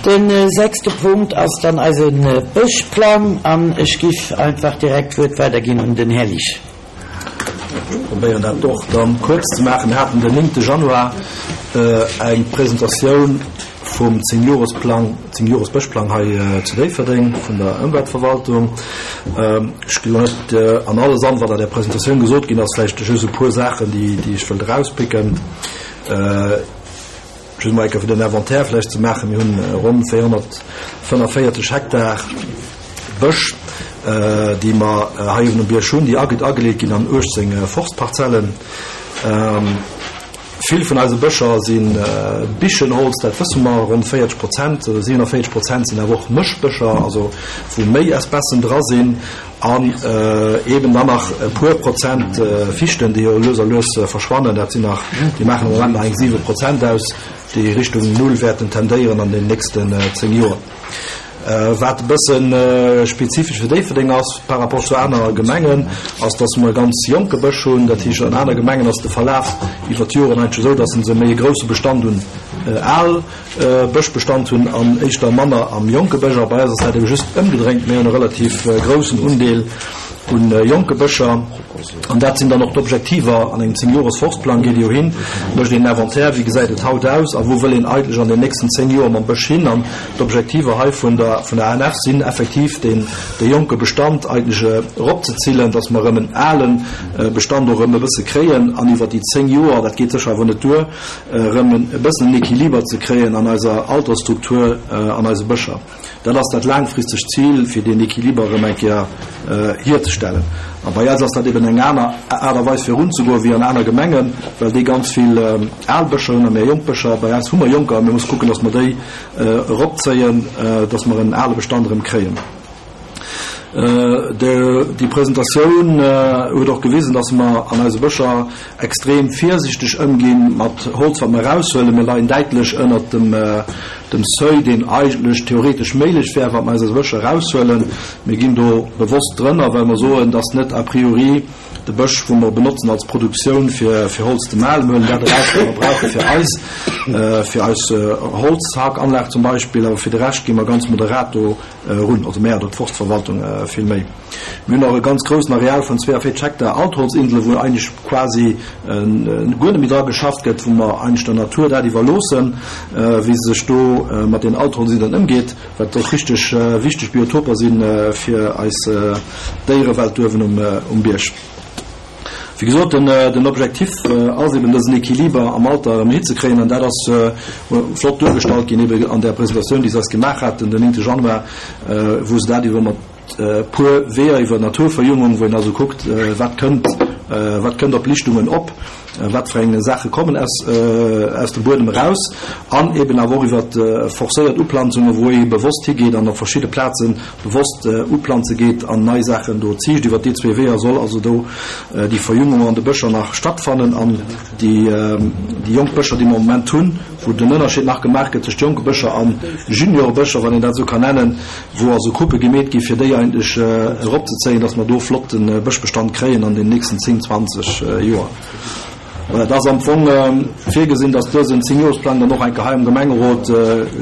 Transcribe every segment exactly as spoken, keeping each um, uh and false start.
De sechste Punkt ass dann eise Bëschplang an ech giff einfach direkt d'Wuert weiderginn un den Här Liesch. Ech probéieren dat och dann kuerz ze maachen. Mir haten den néngte Januar eng Presentatioun vum Zéngjoresplang, Zéngjores-Bëschplang hei zu Déifferdeng vun der Ëmweltverwaltung. Ech ginn elo net an alles an, wat an där Presentatioun gesot ginn ass, vläicht just e puer Saachen, déi, déi ech wëllt erauspicken. Just mol eng Kéier fir den Inventaire vläicht ze maachen, Mir hunn ronn véierhonnertfënnefvéierzeg Hektar Bësch, déi mer hei uewen um Bierg hunn, déi ageleet ginn an uechtzéng Forstparzellen. Vill vun eise Bëscher si Bichenholz, dat wësse mer, ronn véierzeg Prozent, siewenundvéierzeg Prozent sinn awer och Mëschbëscher, also wou méi Espècen dra sinn, an eeben dann nach e puer Prozent Fichten, déi jo lues a lues verschwannen. Dat sinn nach, déi maachen am Moment nach eng siwe Prozent aus, déi Richtung Null wäerten tendéieren an den nächsten zéng Joer. Wat e bësse spezifesch fir Déifferdeng ass par rapport zu aner Gemengen, ass, dass mer e ganz jonke Bësch hunn. Dat heescht, an aner Gemengen ass de Verlaf iwwer d'Joren eigentlech esou, dass se méi e grousse Bestand un al Bëschbestand hunn an éischter manner am jonke Bësch. A bei eis ass dat ebe just ëmgedréint, mir hunn e relativ groussen Undeel un jonke Bëscher. An dat sinn dann och d'Objektiver an engem Zéngjores-Forstplang. Geet ee jo hin, mécht een Inventaire, wéi gesäit et haut aus a wou wëll een eigentlech an den nächsten zéng Joer mam Bësch hin. An d'Objektiver hei vun der vun der A N F sinn effektiv, deen de jonke Bestand eigentlech eropzezillen, dass mer erëm en ale Bestand och erëm e bësse kréien an iwwer déi zéng Joer, dat geet sécher awer net duer, erëm e bëssen en Equiliber ze kréien an eiser Altersstruktur an eise Bëscher. Dat ass dat laangfristegt Zil, fir deen Equiliber erëm eng Kéier hierzestellen. A bei eis ass dat eben eng aner Aart a Weis virunzegoen wéi an aner Gemengen, well déi ganz vill al Bëscher hunn a mir jonk Bëscher. Bei eis hu mer jonker a mir musse kucken, dass mer déi eropzéien, dass mer en ale Bestand erëm kréien. Déi Presentatioun huet och gewisen, dass mer an eise Bëscher extrem virsichteg ëmgi mat Holz, wat mer eraushuelen. Mir leien däitlech ënnert dem dem Seuil, deen eigentlech theoretesch méiglech wär, wat mer aus eise Bëscher eraushuelen. Mir ginn do bewosst drënner, well mer soen, dass net a priori de Bësch, wou mer benotzen als Produktioun fir fir Holz ze malen, mir huelen dat eraus, wat mer brauche fir eis, fir eis Holzhackanlag zum Beispill, awer fir de Rescht gi mer ganz moderat do erun, also mär oder d'Forstverwaltung vill méi. Mir hunn och e ganz groussen Areal vun zweeavéierzeg Hektar Altholzinsele, wou eigentlech quasi guer net méi dra geschafft gëtt, wou mer eigentlech der Natur dat iwwerloossen, wéi se sech do mat den Altholzinselen ëmgeet, wat och richteg wichteg Biotoper si fir eis Déierewelt do uewen um Bierg. Wéi gesot, den Objektiv ass eben dësen Equiliber am Alter erëm hinzekréien, an dat ass flott duergestallt ginn eben an där Presentatioun, déi se eis gemaach haten den néngte Januar, wou se dat iwwer mat e puer Weeër iwwer Naturverjüngung, wou een also kuckt, wat kënnt, wat kënnt op Lichtungen op, wat fir eng Saache kommen aus, aus dem Buedem eraus, an eben awer och iwwer forcéiert Uplanzungen, wou ee bewosst higeet an op verschidde Plaze bewosst uplanze geet an nei Saachen do ziicht. Iwwer déi zwee Weeër soll also do déi Verjüngung an de Bëscher nach stattfannen an déi, déi jonk Bëscher, déi mer am Moment hunn, wou den Ënnerscheed nach gemaach gëtt tëscht jonke Bëscher a Juniorbëscher, wann een dat esou kann nennen, wou also Coupe gemeet gi fir déi eigentlech eropzezéien, dass mer do flotte Bëschbestand kréien an den nächsten zéng, zwanzeg Joer. Voilà, et ass am Fong virgesinn, dass dësen Zéngjoresplang dann och eng Kéier hei am Gemengerot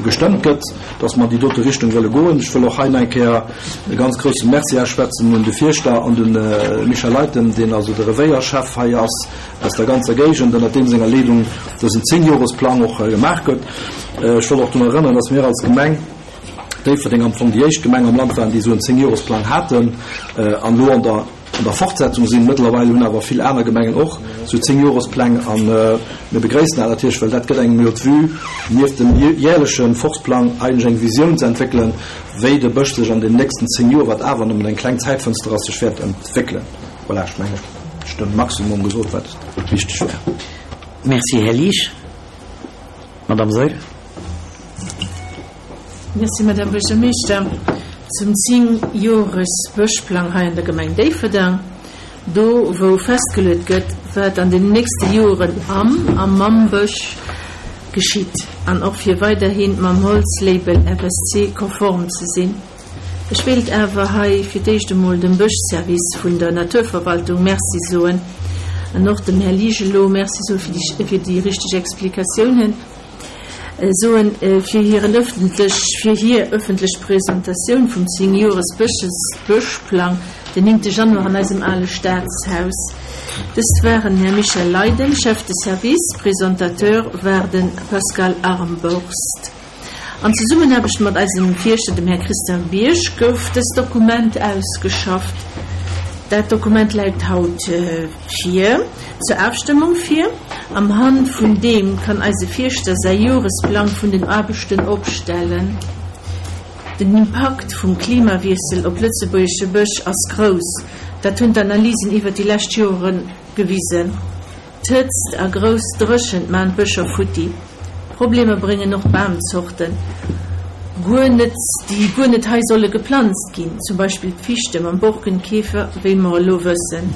gestëmmt gëtt, dass mer an déi dote Richtung wëlle goen. Ech wëll och hei nach eng Kéier e ganz grousse Merci ausschwätzen un de Fierschter an de Michel Leytem, deen also de Revéierchef hei ass aus der ganzer Géigend, ënnert deem senger Leedung dësen Zéngjoresplang och gemaach gëtt. Ech wëll och drun erënneren, dass mir als Gemeng Déifferdeng am Fong déi éischt Gemeng am Land waren, déi esou en Zéngjoresplang haten an elo an der an der Fortsetzung sinn. Mëttlerweil hunn awer vill aner Gemengen och esou Zéngjorespläng a mir begréissen dat natierlech, well dat gëtt engem jo d'Vue, nieft dem jährleche Forstplang eigentlech eng Visioun ze entwéckelen, wéi de Bësch sech an den nächsten zéng Joer, wat awer nëmmen eng kleng Zäitfënster ass, sech wäert entwéckelen. Voilà, ech mengen, ech hunn de Maximum gesot, wat wichteg wär. Merci, Här Liesch. Madame Saeul. Merci, Madame Buergermeeschter. Zum Zéngjores-Bëschplang hei an der Gemeng Déifferdeng, do wou festgeluet gëtt, wat an den nächste Joren am a mam Bësch geschitt an och fir weiderhi mam Holzlabel F S C konform ze sinn. Ech wéilt awer hei fir d'éischt emol dem Bëschservice vun der Naturverwaltung Merci soen an och dem Här Liesch elo Merci soe fir déi richteg Explikatiounen. Soen, fir hiren ëffentlech, fir hir ëffentlech Presentatioun vum zéng-Jores Bëschplang den néngte Januar an eisem ale Staatshaus. Dëst waren Här Michel Leyden, Chef de Service, Presentateur war de Pascal Armborst. An Zesummenaarbecht mat eisem Fierschter, dem Här Christian Bierg, gouf dëst Dokument ausgeschafft. Dat Dokument läit haut vir zur Afstëmmung vir. Am Hand vun deem kann eise Fierschter säi Joresplang vun den Aarbechten opstellen. Den Impakt vum Klimawiessel op lëtzebuergesche Bësch ass grouss, dat hunn d'Analysen iwwer déi lescht Jore gewisen. D'Hëtzt a grouss Dréchent maan d'Bëscher futti. Problemer bréngen och d'Bamzorten guer net, déi guer net hei solle geplanzt ginn, zum Beispill d'Fichte mam Borkenkäfer, wéi mer elo wëssen.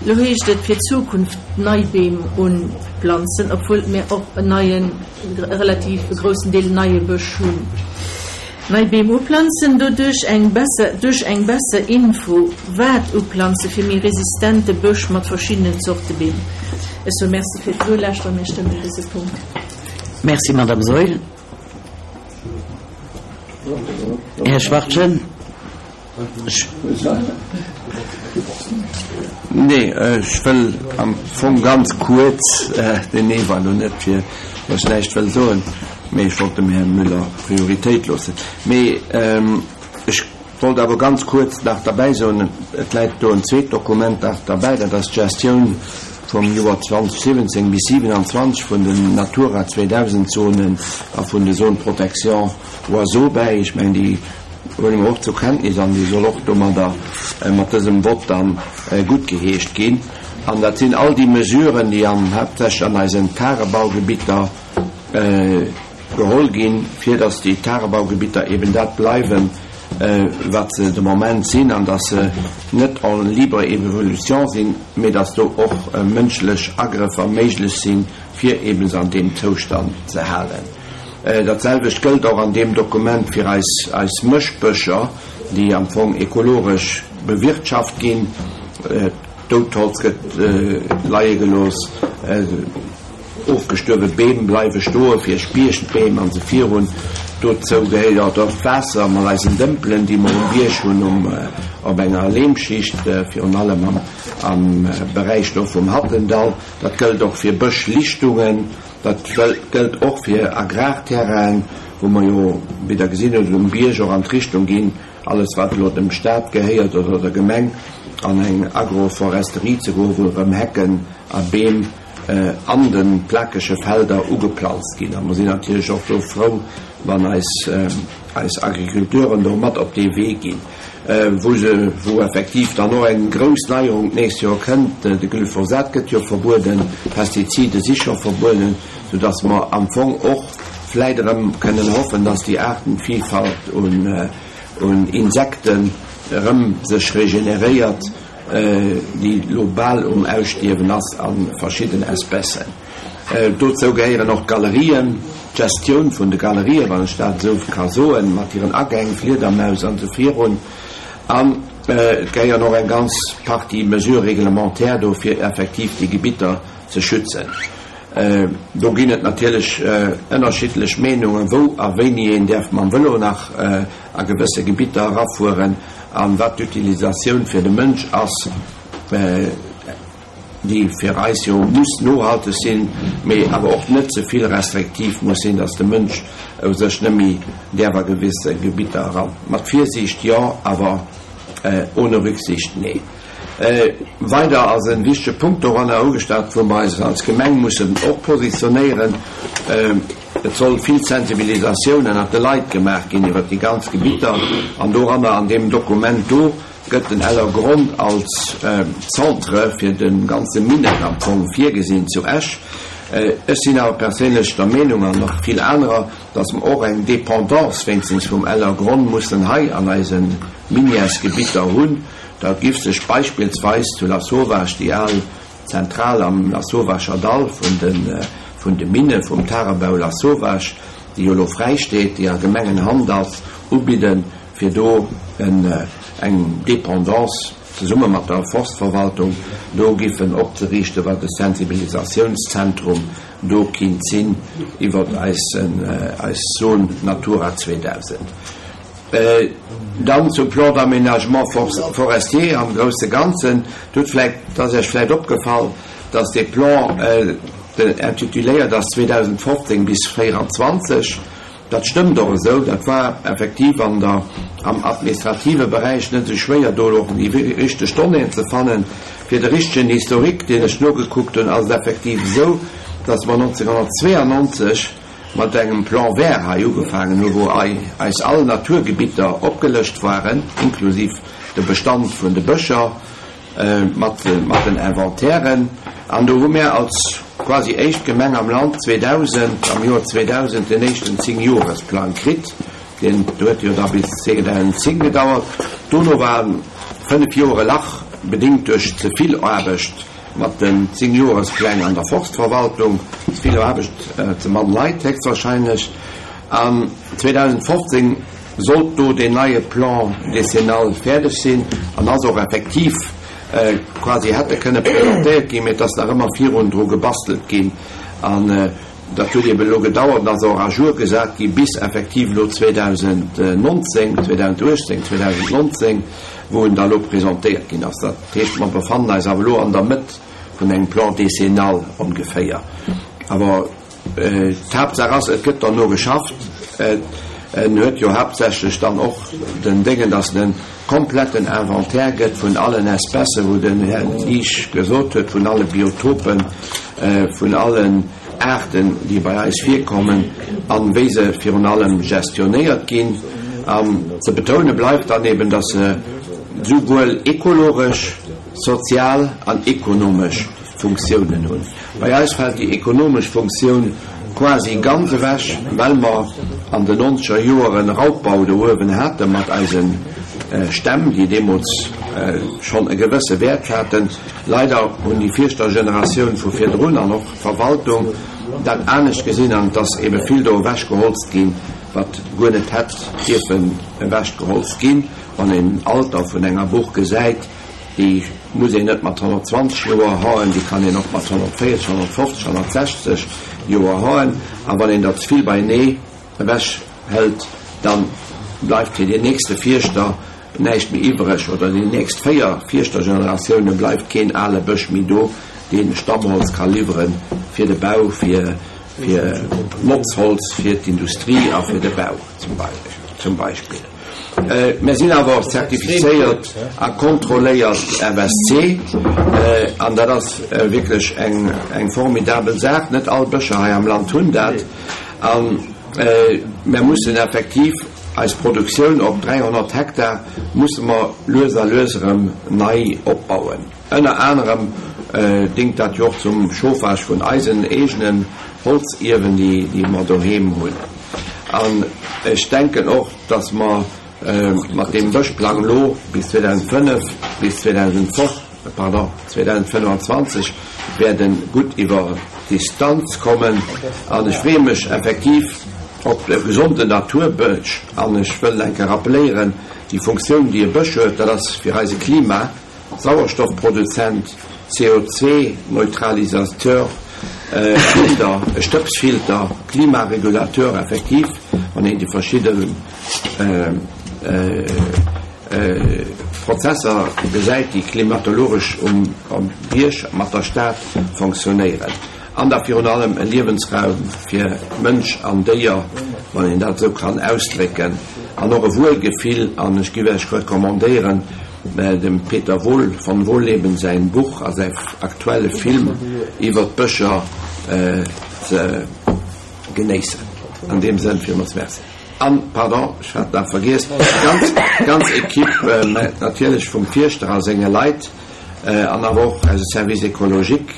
Elo heescht et fir d'Zukunft nei Beem unplanzen, obwuel mir och en neien, relativ groussen Deel neie Bësch hunn. Nei Beem uplanzen, doduerch eng besser, duerch eng besser Info wat uplanze fir méi resistente Bësch mat verschiddenen Zorte Beem. Ech soe Merci fir d'Nolauschteren. Mir stëmmen dëse Punkt. Merci, Madame Saeul. Här Schwachtgen. Nee, ech wëll am Fong ganz kuerz, den Nee war elo net fir, datt ech näischt wëll soen, mee ech wollt dem Här Müller Prioritéit loossen. Mee ech wollt awer ganz kuerz nach derbäi soen, et läit do en zweet Dokument nach derbäi, dat ass d'Gestioun vum Joer zweitausendsiwwenzéng bis siewenundzwanzeg vun den Natura zweedausend Zonen a vun de Zones de protection oiseaux bäi. Ech mengen, déi huele mer och zur Kenntnis an déi soll och domadder mat dësem Vott dann guttgeheescht ginn. An dat sinn all déi Mesuren, déi an haaptsächlech an eisen Tagebaugebitter geholl ginn, fir datt déi Tagebaugebitter eben dat bleiwen, wat se de Moment sinn, an datt se net en libre évolution sinn, mee datt do och mënschlech Agrëffer méiglech sinn, fir eben se an deem Zoustand ze halen. Dat selwecht gëllt och an deem Dokument fir eis, eis Mëschbëscher, déi am Fong ekologesch bewirtschaft ginn. Doutholz gëtt leie gelooss, ofgestuerwe Beem bleiwe stoe fir Spiechtbeem an esou virun. Dozou gehéiert och d'Waasser mat eisen Dëmpelen, déi mer um Bierg hunn, um, op enger Lehmschicht, virun allem am, am Beräich do vum Hattendall. Dat gëllt och fir Bëschlichtungen, dat gëllt och fir Agrarterrainen, wou mer jo, wéi Der gesinn hutt, um Bierg och an d'Richtung ginn, alles wat elo dem Staat gehéiert oder der Gemeng, an eng Agroforesterie ze goen, wou erëm Hecken a Beem an de plakege Felder ugeplanzt ginn. A mer sinn natierlech och do frou, wann eis, eis Agriculteuren do mat op dee Wee ginn, wou se, wou effektiv dann och eng grouss Neierung d'nächst Joer kënnt. De Glyphosat gëtt jo verbueden, d'Pestizide si scho verbueden, soudass mer am Fong och vläit erëm kënnen hoffen, dass déi Aartenvielfalt un, un Insekten erëm sech regeneréiert, déi lo bal um Ausstierwen ass a verschidden Espècen. Dozou gehéieren och d'Galerien, d'Gestioun vun de Galerien, wann ech dat esou ka soen, mat hiren Agäng, Fliedermaus an esou virun. An et gehéieren och eng ganz Partie Mesures réglementaires do, fir effektiv déi Gebitter ze schützen. Do ginn et natierlech ënnerschiddlech Meenungen, wou a wéini een däerf mam Vëlo nach a gewësse Gebitter erafueren an wat d'Utilisatioun fir de Mënsch ass, déi fir eis jo muss nohalteg sinn, mee awer och net ze vill restriktiv muss sinn, datt de Mënsch u sech net méi däerf a gewësse Gebitter eran. Mat Virsiicht jo, awer ohne Rücksicht nee. Weider ass en wichtege Punkt doranner ugestallt, wou mer eis als Gemeng mussen och positionéieren. Et soll vill Sensibilisatioun ënnert de Leit gemaach ginn iwwer déi ganz Gebitter, an doranner an deem Dokument do gëtt den Ellergronn als Centre fir de ganze Minett am Fong virgesinn zu Esch. Ech sinn awer perséinlech der Meenung, an nach vill anerer, datt mer och eng Dépendance wéinstens vum Ellergronn mussen hei an eise Minièresgebitter hunn. Da giff sech beispillsweis zu Lasauvage déi al Zentral am Lasauvager Dall vun de, vun de Minne vum Tagebau Lasauvage, déi jo elo fräi steet, déi a Gemengenhand ass, ubidden, fir do en, eng Dépendance zesumme mat der Forstverwaltung do giffen opzeriichten, wat e Sensibilisationszentrum do kinnt sinn iwwer eis, eis Zone Natura zweedausend. Dann zum Plan d'aménagement forestier am grousse Ganzen. Do huet vläicht, dat ass Iech vläicht opgefall, dass dee Plan intituléiert ass zweedausendfofzéng bis véierundzwanzeg. Dat stëmmt och esou. Dat war effektiv an der, am administrative Beräich net esou schwéier, do och déi richteg Donnéeën ze fannen. Fir de richtegen Historique, deen ech nogekuckt hunn, ass et effektiv esou, dass mer nonzénghonnertzweeanonzeg mat engem Plan vert hei ugefaangen hunn, wou eis all Naturgebitter opgelëscht waren, inklusiv de Bestand vun de Bëscher, mat den Inventairen. An do hu mir als quasi éischt Gemeng am Land zweedausend, am Joer zweedausend den éischten Zéngjoresplang kritt. Deen huet jo da bis zweedausendzéng gedauert. Dono war fënnef Joer e Lach, bedéngt duerch ze vill Aarbecht mat den Zéngjorespläng an der Forstverwaltung. Ze vill Aarbecht, ze mann Leit héchstwahrscheinlech. An zweedausendfofzéng sollt do deen neie Plan décennal fäerdeg sinn an ass och effektiv quasi hätte kënne presentéiert ginn, mee et ass nach ëmmer virun dru gebastelt ginn. An dat huet eben elo gedauert an ass och à jour gesat gi bis effektiv elo zweedausendnonzéng, zweedausenduechtzéng, zweedausendnonzéng, wou en da elo presentéiert ginn ass. Dat heescht, mer befannen eis awer elo an der Mëtt vun engem Plan décennal ongeféier. Awer d'Haaptsaach ass, et gëtt derno geschafft. En huet jo haaptsächlech dann och den Déngen, dass en e kompletten Inventaire gëtt vun allen Espècen, wou den Här Liesch gesot huet, vun alle Biotopen, vun allen Aarten, déi bei eis virkommen an wéi se virun allem gestionéiert ginn. An ze betoune bleift dann eben, dass se souwuel ekologesch, sozial an ekonomesch Funktiounen hunn. Bei eis fält déi ekonomesch Funktioun quasi ganz ewech, well mer an den nonzeger Joeren Raubbau do uewen hate mat eise Stämm, déi deemools schonn e gewësse Wäert haten. Leider hunn déi Fierschtergeneratioun vu virdrun an och d'Verwaltung dat anescht gesinn an et ass ebe vill do ewechgeholzt ginn, wat guer net hätt dierfen ewechgeholzt ginn. Wann een den Alter vun enger Buch gesäit, déi muss een net mat honnertzwanzeg Joer haen, déi kann een och mat honnertvéierzeg, honnertfofzeg, honnertsechzeg Joer haen. A wann een der ze vill beienee ewech hëlt, da bleift fir deen nächste Fierschter näischt méi iwwreg, oder déi nächst véier Fierschtergeneratioune bleift keen ale Bësch méi do, dee Stammholz ka liwwere fir de Bau, fir Notzholz, fir d'Industrie a fir de Bau zum Beispill. Mir sinn awer och zertifizéiert a kontrolléiert F S C, an dat ass wierklech eng formidabel Saach. Net all Bëscher hei am Land hunn dat. A mir mussen effektiv eis Produktioun op dräihonnert Hektar musse mer lues a lues erëm nei opbauen. Ënner anerem dingt dat jo och zum Chauffage vun eisen eegenen Holziewen, déi mer doheem hunn. An ech denken och, dass mer mat deem Bëschplang elo bis zweedausendfënnef, bis zweedausendfünf, pardon, zweedausendfënnefanzwanzeg werden gutt iwwer d'Distanz kommen. An ech freeë mech effektiv op e gesonden Naturbësch. An ech wëll eng Kéier rappelléieren, déi Funktioun, déi e Bësch huet, dat ass fir eise Klima, Sauerstoffproduzent, C O zwei Neutralisateur, Filter, e Stëbsfilter, Klimaregulateur effektiv, wann een déi verschidden Prozesser gesäit, déi klimatologesch um, um Bierg mat der Stad funktionéieren. An da virun allem e Liewensraum fir Mënsch an Déier, wann een dat esou kann ausdrécken, an och e Wuelgefill. An ech géif Iech recommandéieren, dem Peter Wohl von Wohlleben säin Buch a säi aktuelle Film iwwer d'Bëscher ze genéissen. An deem Sënn villmools Merci. An, pardon, ech hat nach vergiess, ganz, ganz Equipe, natierlech vum Fierschter a senge Leit, an awer och eise Service écologique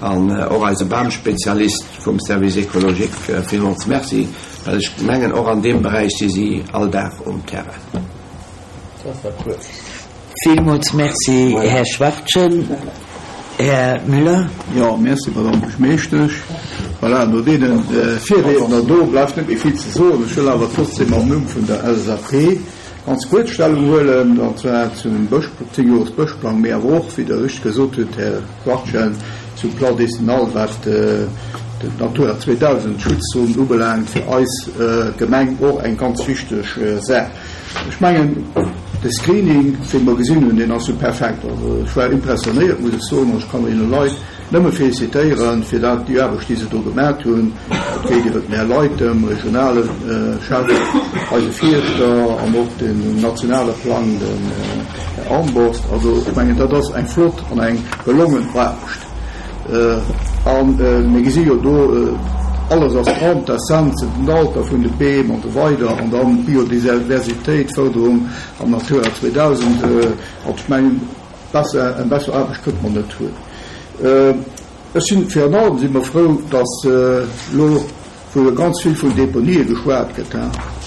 an och eise Bamspezialist vum Service écologique, villmools Merci, well ech mengen, och an deem Beräich si si all Dag um Terrain. Dat war kuerz. Villmools Merci, Här Schwachtgen. Här Müller. Jo, merci, Madame Buergermeeschtesch. Voilà, no deenen Virriedner do bleift net méi vill ze soen. Ech wëll awer trotzdem am Numm vun der L S A P ganz kuerz Stellung huelen, an zwar zum Bësch, Zéngjores-Bëschplang, mee awer och, wéi Der richteg gesot hutt, Här Schwachtgen, zum Plan décennal, wat den Natura zweedausend Schutzzonen ubelaangt, fir eis Gemeng och eng ganz wichteg Saach. Ech mengen, de Screening, dee mer gesinn hunn, deen ass jo perfekt. Also ech war impressionéiert, muss ech soen, an ech kann deene Leit nëmme félicitéieren fir dat, déi Aarbecht, déi se do gemat hunn. Et geet iwwer den Här Leutem, regionale Chef, eise Fierschter an och den nationale Plang, den Här Armborst. Also ech mengen, dat ass eng flott an eng gelongen Aarbecht. A mir gesi jo do, alles ass dran, d'Essenzen, den Alter vun de Beem an esou weider an dann d'Biodiversitéit, Fërderung am Natura zweedausend. Also ech mengen, besser, eng besser Aarbecht kënnt mer net hunn. Ech sinn, virun allem si mer frou, dass elo, wou jo ganz vill vun Deponië geschwat gëtt,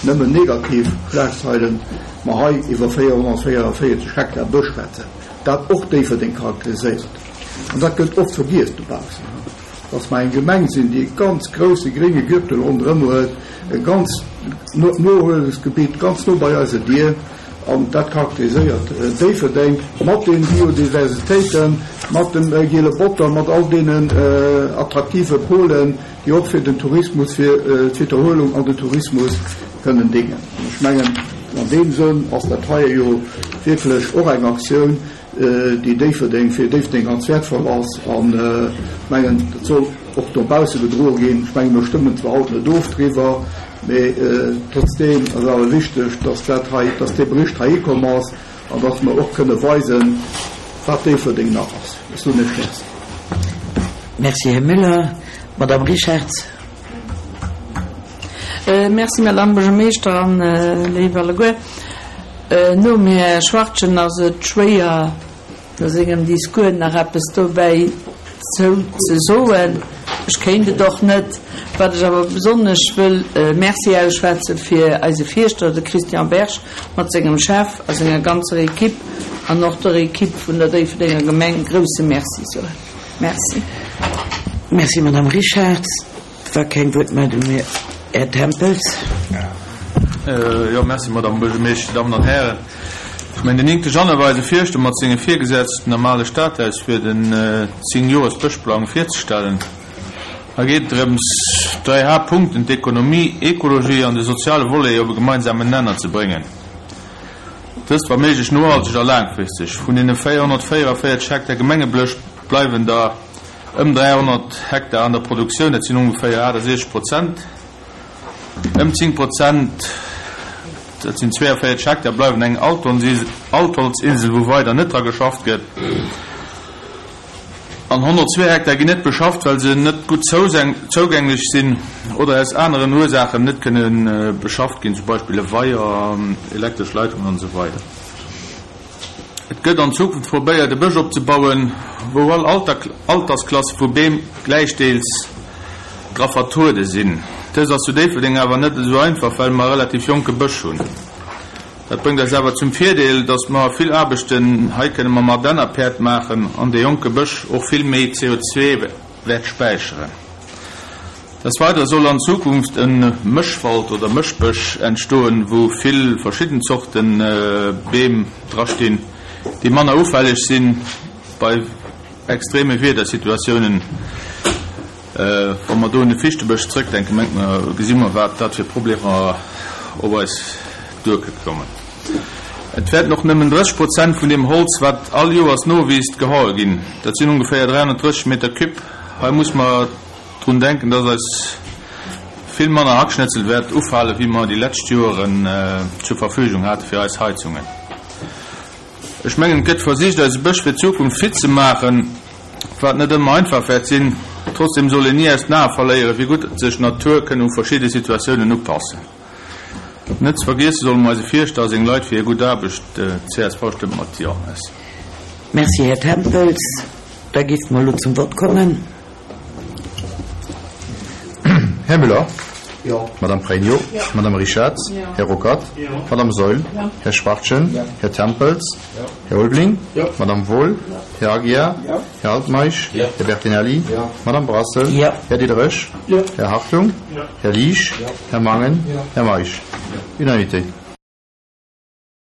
nëmmen negativ Schlagzeilen, mer hei iwwer véierhonnertvéierundvéierzeg Hektar Bësch schwätzen, dat och Déifferdeng charakteriséiert. An dat gëtt oft vergiess dobaussen, dass mer eng Gemeng sinn, déi e ganz grousse grénge Gürtel ronderëm huet, e ganz Nohuelungsgebitt ganz no bei eiser Dier. An dat charakteriséiert Déifferdeng mat den Biodiversitéiten, mat dem giele Botter, mat all deenen attraktive Polen, déi och fir den Tourismus, fir d'Widderhuelung an den Tourismus kënnen déngen. An ech mengen, an deem Sënn ass dat heie jo wierklech och eng Aktioun, déi Déifferdeng, fir Déifferdeng ganz wäertvoll ass. An ech mengen, dat soll och dobausse gedroe ginn. Ech mengen, mir stëmmen zwar haut net of driwwer, mee trotzdeem ass awer wichteg, dass dat hei, dass dee Bericht hei hikomm ass an dass mer och kënne weisen, wat Déifferdeng nach ass. Ech soen Iech Merci. Merci, Här Müller. Madame Richartz. Merci, Madame Buergermeeschter an léif alleguer. Nom Här Schwachtgen ass et schwéier, no sengem Discours nach eppes dobäi zou ze soen. Ech kéint et och net. Wat ech awer besonnesch wëll Merci ausschwätze fir eise Fierschter, de Christian Berg, mat sengem Chef a senger ganzer Equipe an och der Equipe vun der Déifferdenger Gemeng grousse Merci soen. Merci. Merci, Madame Richartz. Wa keng Wuertmeldung méi, Här Tempels. Jo, merci, Madame Buergermeeschter, Dammen an Hären. Ech mengen, den néngte Januar war eise Fierschter mat senge Virgesetzten am ale Stadhaus, fir den Zéng-Joers-Bëschplang virzestellen. Hei geet et drëms, dräi Haaptpunkten, d'Ekonomie, Ekologie an de soziale Volet op e gemeinsamen Nenner ze bréngen. Dëst wa méiglech nohalteg a laangfristeg. Vun deene véierhonnertvéierundvéierzeg Hektar Gemengeblësch bleiwen der ëm dräihonnert Hektar an der Produktioun, dat sinn ongeféier achtasiechzeg Prozent. Ëm zéng Prozent, dat sinn zweeënvéierzeg Hektar, bleiwen eng Altholzinsel, wou weider net dra geschafft gëtt. An honnertzwee Hektar ginn net beschafft, well se net gutt zougänglech sinn oder aus aneren Ursaachen net kënne beschafft ginn, zum Beispill e Weier, elektresch Leitungen an esou weider. Et gëtt an Zukunft probéiert, e Bësch opzebauen, wou all Altersklasse vu Beem gläichdeels dra vertruede sinn. Dëst ass zu Déifferdeng awer net esou einfach, well mer e relativ jonke Bësch hunn. Dat bréngt eis awer zum Virdeel, dass mer vill Aarbechten hei kënne mam Ardennerpäerd maachen an dee jonke Bësch och vill méi C O zwei wäert späicheren. Des Weidere soll an Zukunft e Mëschwald oder Mëschbësch entstoen, wou vill verschidden Zorten Beem drastinn, déi manner ufälleg sinn bei extreme Wiedersituatiounen. Wa mer do un de Fichtebësch zrëckdenken, mengt mer, gesi mer, wat dat fir Problemer op eis duerkommen. Et wäerten och nëmmen drësseg Prozent vun dem Holz, wat all Joers nowiisst, gehaue ginn. Dat sinn ongeféier dräihonnertdrësseg Meter Cube. Hei muss mer drun denken, dass eis vill manner Hackschnitzel wäert ufale, wéi mer déi lescht Joren zur Verfügung hate fir eis Heizungen. Ech mengen, et gëtt versicht, eise Bësch fir d'Zukunft fit ze maachen, wat net ëmmer einfach wäert sinn. Trotzdem soll een nie aus den Aen verléieren, wéi gutt sech d'Natur kënne u verschiedene Situatiounen upassen. Net ze vergiessen solle mer eise Fierschter a seng Leit fir hir gutt Aarbecht. C S V stëmmt mat Jo. Merci. Merci, Här Tempels. Da giff mer elo zum Wort kommen. Här Müller. Jo. Madame Pregno. Jo. Madame Richartz. Jo. Här Ruckert. Jo. Madame Seul. Jo. Här Schwachtgen. Jo. Här Tempels. Jo. Här Ulbling. Jo. Madame Wohl. Jo. Här Aguiar. Jo. Här Altmeisch. Jo. Här Bertinelli. Jo. Madame Brassel. Jo. Här Diderich. Jo. Här Hartung. Jo. Här Liesch. Jo. Här Mangen. Jo. Här Meisch. Jo. Unanimité.